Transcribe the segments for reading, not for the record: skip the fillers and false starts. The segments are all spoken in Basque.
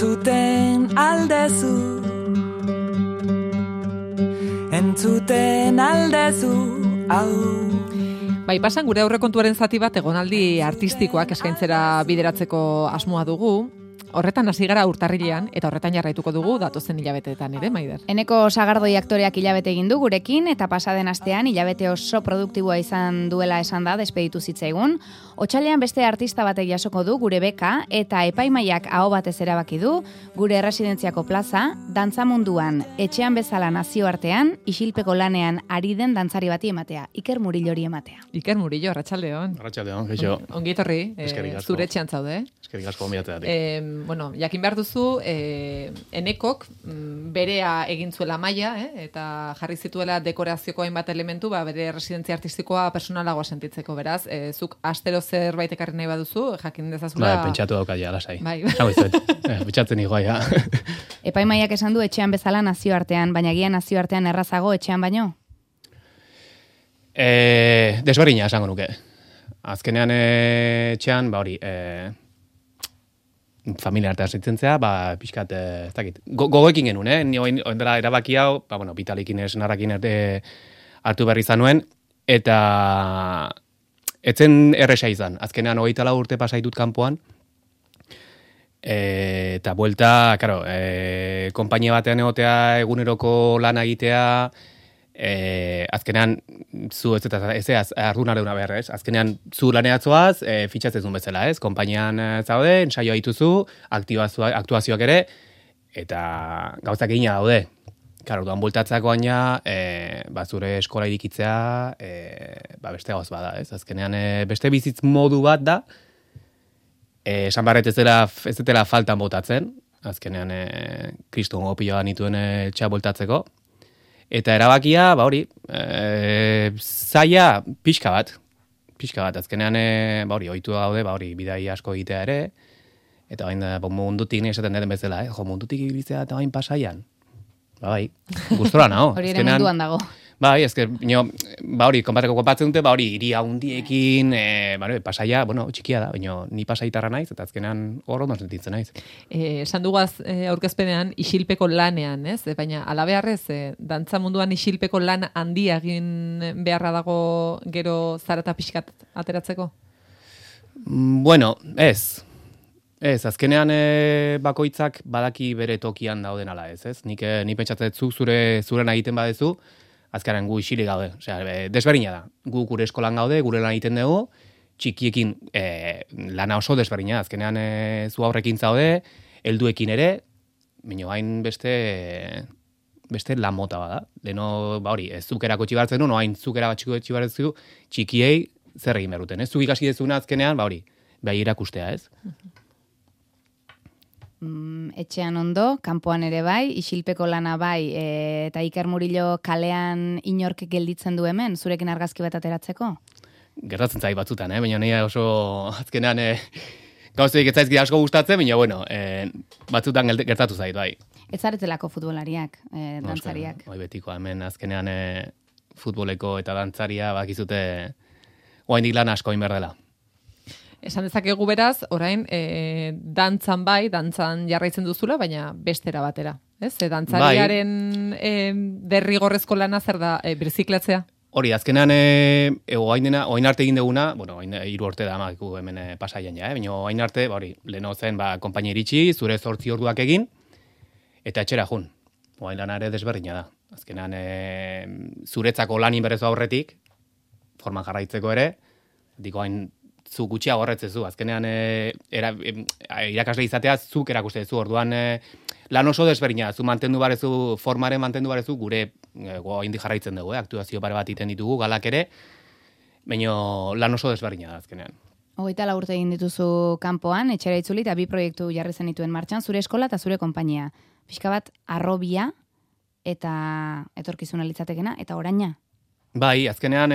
entzuten aldezu, entzuten aldezu, hau. Bai, pasan gure aurrekontuaren zati bat egonaldi artistikoak eskaintzera bideratzeko asmoa dugu. Horretan hasi gara urtarrilean eta horretan jarraituko dugu datozen hilabeteetan ere, Maider. Eneko Sagardoi aktoreak hilabete egin du gurekin eta pasaden astean hilabete oso produktiboa izan duela esan da despeditu zitzaigun. Otsailean beste artista batek jasoko du gure beka eta epaimaiak aho batez erabaki du gure erresidentziako plaza dantza munduan etxean bezala nazioartean isilpeko lanean ari den dantzari bati ematea, Iker Murillori ematea. Iker Murillo, arratsaldeon. Arratsaldeon, geixo. Ongi etorri, zure etxean zaude. Eskerrik asko gonbidateagatik. Bueno, jakin behar duzu, Enekok berea egin zuela maila, eta jarri zituela dekorazioko hainbat elementu, bere residentzia artistikoa personalagoa sentitzeko, beraz. Zuk astero zerbait ekarri nahi baduzu, jakin dezazula. Bai, pentsatu daukaia, lasai. Bai. Pentsatzen igoa, Epaimaiak esan du etxean bezala nazioartean, baina gian nazioartean errazago etxean baino? Desberdina esango nuke. Azkenean etxean, hori, familia artean zitzen pixkat, ez dakit, gogoekin genuen, ni oindela erabaki hau, Vitalikin senarrakin hartu berri zanuen, eta etzen erresa izan. Azkenean 24 urte pasaitut kanpoan, eta buelta, karo, konpainia batean egotea, eguneroko lana egitea, azkenean zu ez ardunarena behar, ez? Azkenean zu laneatzoaz, fitxatzezun bezala, ez? Konpainian zaude, ensaioa dituzu, aktuazioak ere, eta gauzak egina daude. Karo, duan bultatzako baina, zure eskola irikitzea, beste gauz bada, ez? Azkenean beste bizitz modu bat da, esan barret ez dela faltan botatzen, azkenean kriston gopioa nituen etxea bultatzeko, eta erabakia, hori, zaila pixka bat, azkenean, hori, ohitu daude, hori, bidai asko egitea ere, eta bain, mundutik nire esaten den bezala, mundutik ibiltzea eta bain pasaian. Bai, gustora nao. Hori ere munduan dago. Bai, hori, konpareko konpatzen dute, hori, iria hundiekin, pasaia, txikia da, ni pasaitarra naiz, eta azkenean hor ondo sentitzen naiz. Esan dugaz aurkezpenean isilpeko lanean, ez? Baina alabeharrez, dantza munduan isilpeko lan handia egin beharra dago gero zarata pixkat ateratzeko? Bueno, ez. Ez, azkenean bakoitzak badaki bere tokian dauden ala ez? Nik pentsatzen zuk zuren egiten badezu, azkenean gu isilik gaude. Osea, desberdina da. Gu gure eskolan gaude, gure lan egiten dugu, txikiekin lana oso desberdina. Azkenean zu aurrekin zaude, helduekin ere, baina hain beste lan mota bada. Leno, hori, ez zuk erakotxi bartzen du, hain zuk erakotxi bartzen du, txikiei zer egin behar duten. Ez zuk ikasi dezuna azkenean, hori, bai irakustea, ez? Etxean ondo, kanpoan ere bai, isilpeko lana bai, eta Iker Murillo kalean inork gelditzen du hemen, zurekin argazki bat ateratzeko? Gertatzen zait batzutan, baina nire oso azkenean gauzeik ez zaizki asko gustatzen, baina batzutan gertatu zait, bai. Ez zaretelako futbolariak, dantzariak. Bai, betiko, hemen azkenean futboleko eta dantzaria bakizute oraindik lan asko egin behar dela. Esan dezakegu beraz, orain, dantzan jarraitzen duzula, baina bestera batera. Ez? Dantzariaren derrigorrezko lana zer da, birziklatzea? Hori, azkenean, oain arte egin duguna, 3 urte da amakiku hemen pasaian ja, baina oain arte, leheno zen, konpainia iritsi, zure 8 orduak egin, eta etxera jun. Oain lana ere desberdina da. Azkenean, zuretzako lanin berezu aurretik, forman jarraitzeko ere, diko hain zu gutxiago horretzezu, azkenean irakasle izatea zuk erakustezu, orduan lan oso desberdina, zu mantendu barezu, formaren mantendu barezu, gure indi jarraitzen dugu, aktuazio pare bat iten ditugu, galak ere, baina lan oso desberdina da azkenean. 24 urte egin dituzu kanpoan, etxera itzuli eta 2 proiektu jarri zenituen martxan, zure eskola eta zure konpainia. Pixka bat, arrobia eta etorkizuna litzatekena, eta oraina? Bai, azkenean,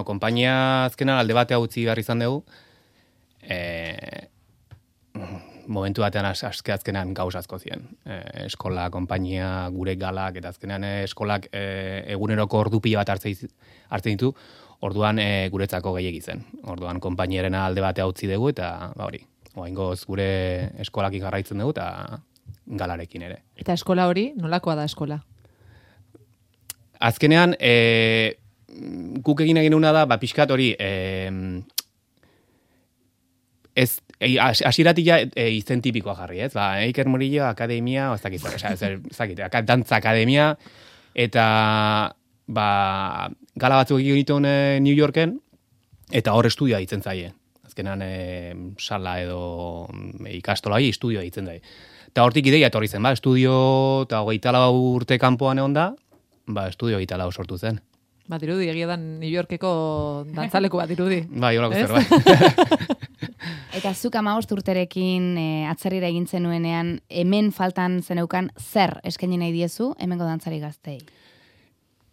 konpainia azkenean alde batea utzi behar izan dugu, momentu batean azkenean gauz asko ziren. Eskola, konpainia, gure galak, eta azkenean eskolak eguneroko ordupila bat hartzen ditu, orduan guretzako gehiegi zen. Orduan konpainiarena alde batea utzi dugu, eta hori, oaingoz gure eskolakin jarraitzen dugu, eta galarekin ere. Eta eskola hori, nolakoa da eskola? Azkenean, guk egin genuna da, pixkat hori, hasieratik izen tipikoa jarri, ez? Iker Murillo Akademia, ez dakit, dantza akademia, eta gala batzuk egin dituen New Yorken, eta hor estudioa ditzen zaie. Azkenean, sala edo ikastola estudioa ditzen zaie. Eta hortik ideia etorri zen, estudio, eta 24 urte kanpoan egon da, estudio 24 sortu zen. Dirudi, egia da New Yorkeko dantzaleku bat dirudi. Holako zerbait. Eta zuk 15 urterekin atzerrira egin zenuenean, hemen faltan zeneukan zer eskaini nahi diezu hemengo dantzari gaztei?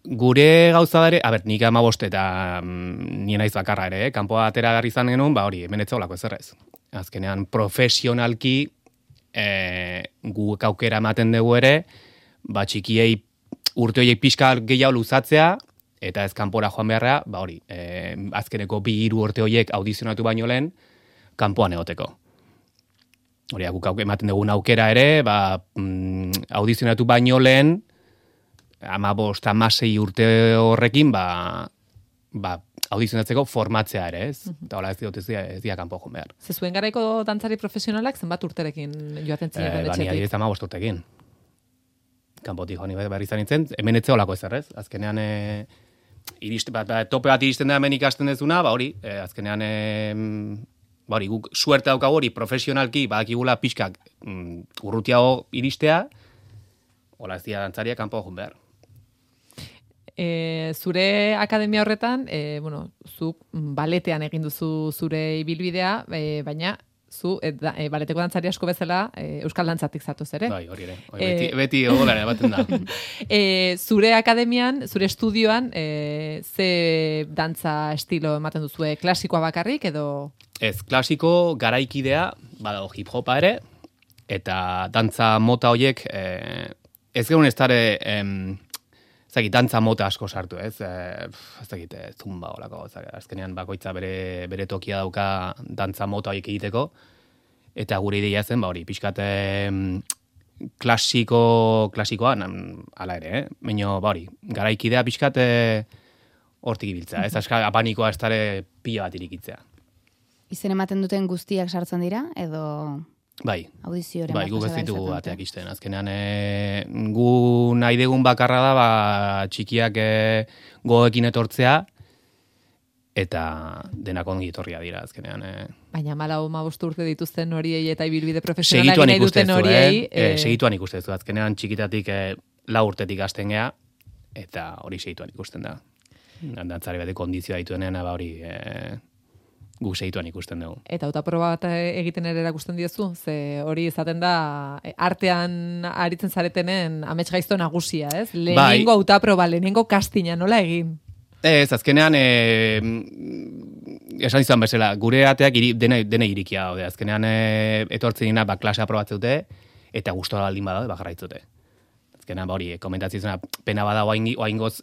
Gure gauza dare, nik 15 eta nien naiz bakarra ere, kanpoa atera garri izan genuen, hori, hemen etzaolako ezerrez. Azkenean, profesionalki guk aukera ematen dugu ere, txikiei urte horiek pixka gehiago luzatzea, eta ez kanpora joan beharra, hori, azkeneko 2-3 urte horiek audizionatu baino lehen, kanpoan egoteko. Hori, guk ematen dugun aukera ere, audizionatu baino lehen, 15-16 urte horrekin, audizionatzeko formatzea ere, ez? Eta hola ez dira kanpo joan behar. Zuen garaiko dantzari profesionalak zenbat urterekin joaten ziren etxetik? Ni 15 urtekin. Kanpotik joan behar izan nintzen, hemen etze holako ezer, ez? Azkenean, tope bat iristen da hemen ikasten dezuna, hori, azkenean, guk suerte daukagu hori profesionalki, badakigula pixkak urrutiago iristea, hola ez dira dantzaria kanpo joan behar. Zure akademia horretan, zuk baletean egin duzu zure ibilbidea, baina zu baleteko dantzari asko bezala euskal dantzatik zatuz ere. Bai, hori ere. Beti ogolare baten da. Zure akademian, zure estudioan, ze dantza estilo ematen duzue? Klasikoa bakarrik edo? Ez, klasiko garaikidea, badago hip-hopa ere, eta dantza mota horiek, ez geun ez dara, dantza mota asko sartu, ez? Ez dakit, zumba olako, azkenean bakoitza bere tokia dauka dantza mota horiek egiteko, eta gure ideia zen, hori, pixkat klasikoa, ala ere, baina, hori, garaikidea pixkat hortik ibiltza, ez? Apanikoa ez dara pila bat irikitzea. Izen ematen duten guztiak sartzen dira, edo... Bai, guk ez ditugu ateak izten. Azkenean, gu nahi degun bakarra da, txikiak goekin etortzea, eta denak ongi etorria dira, azkenean. Baina 14 urte dituzten horiei eta ibilbide profesionalak nahi duten horiei... Segituan ikustezu, azkenean txikitatik 4 urtetik hasten gea, eta hori segituan ikusten da. Dantzari bate kondizioa dituenean, hori... guk segituan ikusten dugu. Eta hautaproba bat egiten ere erakusten diezu, ze hori izaten da artean aritzen zaretenen amets gaizto nagusia, ez? Lehenengo hautaproba, lehenengo castinga, nola egin? Ez, azkenean, esan izan bezala, gure ateak dene irikia daude. Azkenean, etortzen dina, klasea aprobatzute, eta gustora baldin badaude, jarraitzute. Azkenean, hori, komentatzen pena bada oaingoz,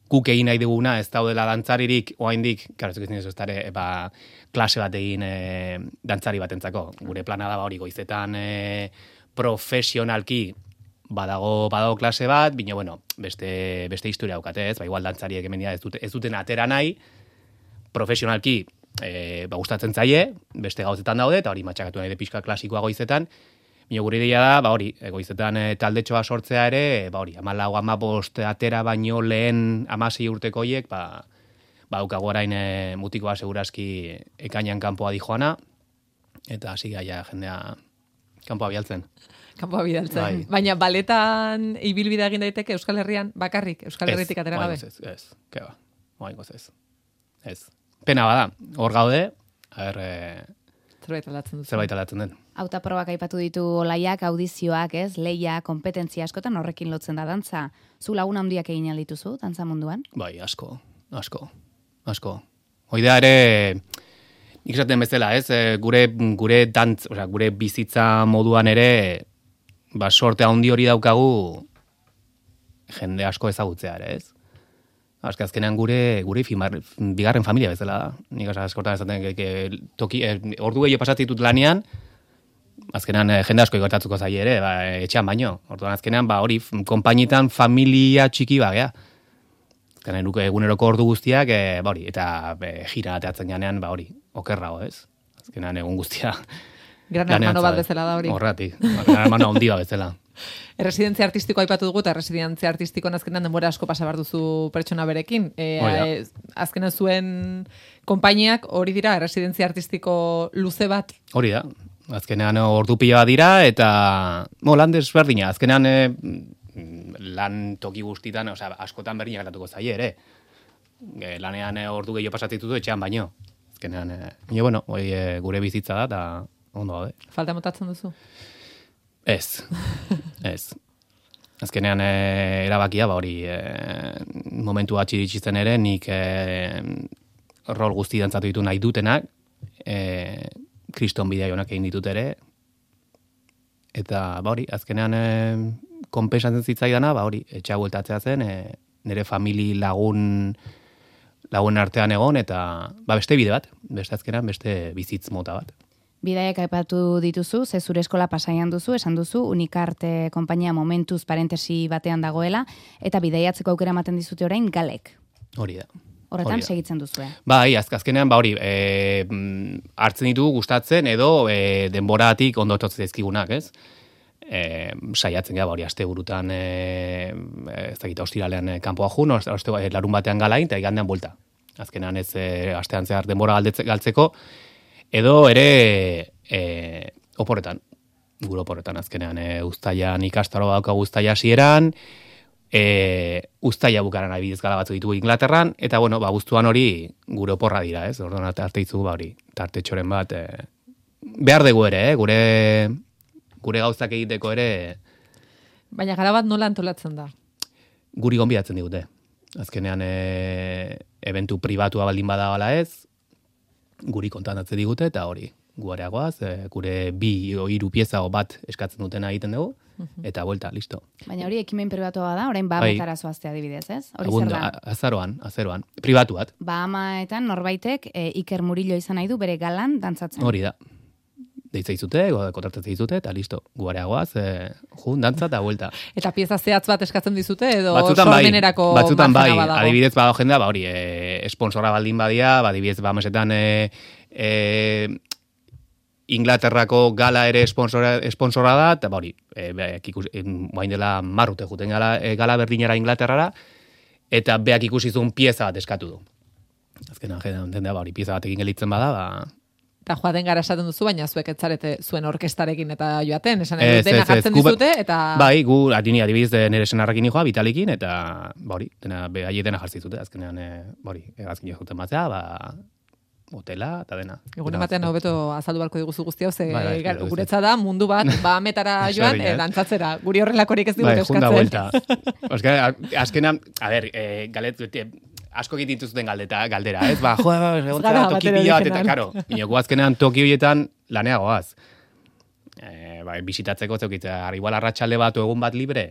guk egin nahi duguna, ez daudela dantzaririk, oaindik, klase bat egin dantzari batentzako. Gure plana da hori goizetan profesionalki badago klase bat, bino, beste historia daukate, ez? Igual dantzariek hemen ez duten atera nahi, profesionalki gustatzen zaie, beste gauzetan daude, eta hori matxakatu nahi de pixka klasikoa goizetan, bino gure ideia da, hori, goizetan taldetxoa sortzea ere, hori, 14-15 atera baino lehen 16 urteko horiek, daukago orain mutikoa segurazki ekainan kanpoa dijoana, eta hasi gaia jendea kanpoa bialtzen. Kanpoa bidaltzen. Baina baletan ibilbidea egin daiteke Euskal Herrian bakarrik, Euskal Herritik atera gabe? Ez, keba, oaingoz ez. Ez. Pena bada, hor gaude, zerbait aldatzen den. Hautaprobak aipatu ditu olaiak, audizioak, ez? Leia, kompetentzia askotan horrekin lotzen da dantza. Zu lagun handiak egin aldituzu, dantza munduan? Bai, asko. Hoidea ere, nik esaten bezala, ez? Gure dantz, gure bizitza moduan ere, sorte handi hori daukagu jende asko ezagutzea ere, ez? Azkenean gure bigarren familia bezala da. Nik askotan esaten ordu gehiago pasatzen ditut lanean, azkenean jende asko gertatuko zaie ere, etxean baino. Orduan azkenean, hori, konpainietan familia txiki bagea. Azkenean eguneroko ordu guztiak, hori, eta jira ateatzen janean, hori, okerrago, ez? Azkenean egun guztia. Gran hermano bat bezala da hori. Horratik, gran hermano handi bat bezala. Erresidentzia artistikoa aipatu dugu, eta erresidentzia artistikoan azkenean denbora asko pasa behar duzu pertsona berekin. Azkenean zuen konpainiak hori dira, erresidentzia artistiko luze bat? Hori da. Azkenean ordu pila bat dira, eta lan desberdina. Azkenean lan toki guztitan, askotan berdina gertatuko zaie ere. Lanean ordu gehiago pasatzen dituzu etxean baino. Azkenean, gure bizitza da, eta ondo gabe. Falta motatzen duzu? Ez. Azkenean erabakia, hori momentu bat iritsitzen ere, nik rol guzti dantzatu ditu nahi dutenak, kriston bidea jonak egin ditut ere, eta hori, azkenean konpensatzen zitzaidana, hori, etxea bueltatzea zen, nire famili lagun artean egon, eta beste bide bat, beste azkenean, beste bizitz mota bat. Bidaiak aipatu dituzu, ze zure eskola pasaian duzu, esan duzu, Unikarte konpainia momentuz parentesi batean dagoela, eta bidaiatzeko aukera ematen dizute orain galek. Hori da. Horretan segitzen duzue. Bai, azkenean, hori, hartzen ditugu gustatzen, edo denboratik ondo etortzen zaizkigunak, ez? Saiatzen gara, hori, aste burutan, ez dakita, ostiralean kanpoa jun, larun batean galain, eta igandean buelta. Azkenean ez astean zehar denbora galtzeko, edo ere oporretan, gure oporretan azkenean, uztailan ikastaro daukagu uztaila hasieran, uztaila bukaran adibidez gala batzu ditugu Inglaterran, eta guztuan hori gure oporra dira, ez? Orduan arte itzugu, hori, tartetxoren bat, behar dugu ere, gure gauzak egiteko ere. Baina gara bat nola antolatzen da? Guri gonbidatzen digute. Azkenean, eventu pribatua baldin badagala ez, guri kontantatzen digute, eta hori, guareagoaz, gure 2 o 3 pieza bat eskatzen dutena egiten dugu, eta vuelta, listo. Baina hori ekimen pribatua da, orain Bahametara zoaztea adibidez, ez? Hori zer da? Azaroan, pribatu bat. Bahamaetan norbaitek Iker Murillo izan nahi du bere galan dantzatzen. Hori da. Deitza izute, kontratatzen izute, eta listo, guareagoaz, dantza eta vuelta. Eta pieza zehatz bat eskatzen dizute, edo sormenerako batzutan bai, adibidez badago jendea, hori, esponsora baldin badia, adibidez Bahamesetan Inglaterrako gala ere esponsora da, eta hori, guain dela marrute juten gala berdinera Inglaterrara, eta beak ikusizun pieza bat eskatu du. Azkenan, jendea, hori, pieza batekin gelitzen bada, Eta joaten gara esaten duzu, baina zuek etzarete zuen orkestarekin eta joaten, esan dena jartzen dizute, eta... Bai, gu adibidez nire senarrakin joa, Vitalikin, eta hori, dena jartzen dizute, azkenean, hori, egazkin joten batzea, hotela, eta dena. Egun ematean hobeto azaldu balko diguzu guztia, ze guretza da, mundu bat, Bahametara joan, dantzatzera, guri horrelakorik ez digute eskatzen. Azkenean, galet, asko egiten dituzten galdera, ez? Toki pila bat, eta karo, inoku azkenean toki horietan laneagoaz. Bisitatzeko zeukitza, igual arratsalde bat o egun bat libre.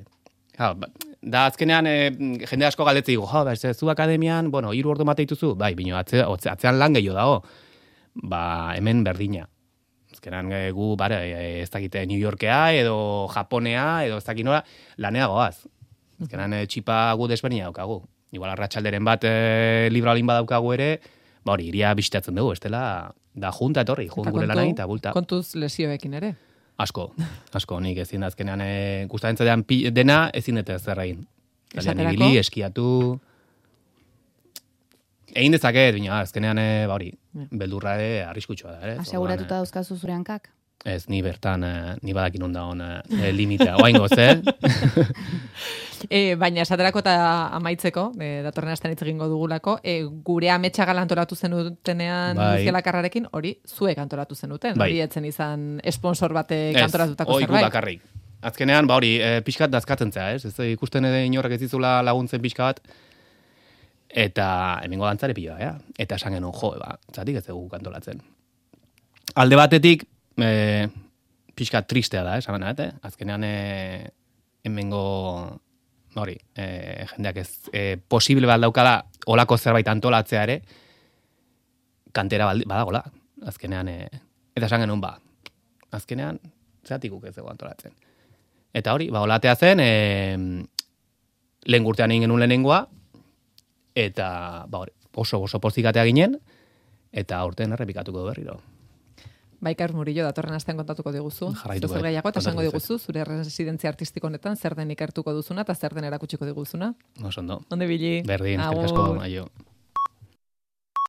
Da azkenean jende asko galdetzen digo, zu akademian, 3 ordu mate dituzu, bai, bino atzean lan gehiago dago. Hemen berdina. Azkenean gu, ez dakite New Yorkea, edo Japonea, edo ez dakit nola, laneagoaz. Azkenean txipa gu desberdina daukagu. Igual arratsalderen bat libra olin badaukagu ere, hori, iria bisitatzen dugu, estela, da junta etorri, gure lanai, eta bulta. Kontuz lesioekin ere? Asko, nik ezin da azkenean gustatzen zaidan dena ezin dut zer egin. Ibili, eskiatu... Egin dezaket, bina, azkenean, hori, beldurra ere arriskutsua da, ere? Aseguratuta dauzkazu zure hankak? Ez, ni bertan, ni badakin ondagon limitea, oaingoz, Baina esaterako eta amaitzeko, datorren astean hitz egingo dugulako, gure ametsa gala antolatu zenutenean Gelakarrarekin, hori zuek antolatu zenuten, hori etzen izan sponsor batek antolatutako zerbait. Ez, hori bakarrik. Azkenean, hori, pixkat dazkatzen zea, ez ikusten edo inorrek ez dizula laguntzen pixka bat, eta hemengo dantzare piloa, eta esan genuen, zatik ez dugu antolatzen. Alde batetik, pixka tristea da, esan benat, azkenean hemengo hori, jendeak ez posible bat daukala olako zerbait antolatzea ere, kantera badagola, azkenean, eta esan genuen azkenean, Zeratik guk ez dugu antolatzen. Eta hori, olatea zen, lehen urtean egin genuen lehenengoa, eta oso pozikatea ginen, eta aurten errepikatuko du berriro. Baikar Murillo, datorren astean kontatuko diguzu. Jarraituko. Zer gehiago, eta esango diguzu, zure residentzia artistiko honetan, zer den ikertuko duzuna, eta zer den erakutsiko diguzuna. Oso ondo. Onde bili. Berdin, eskerrik asko, aio.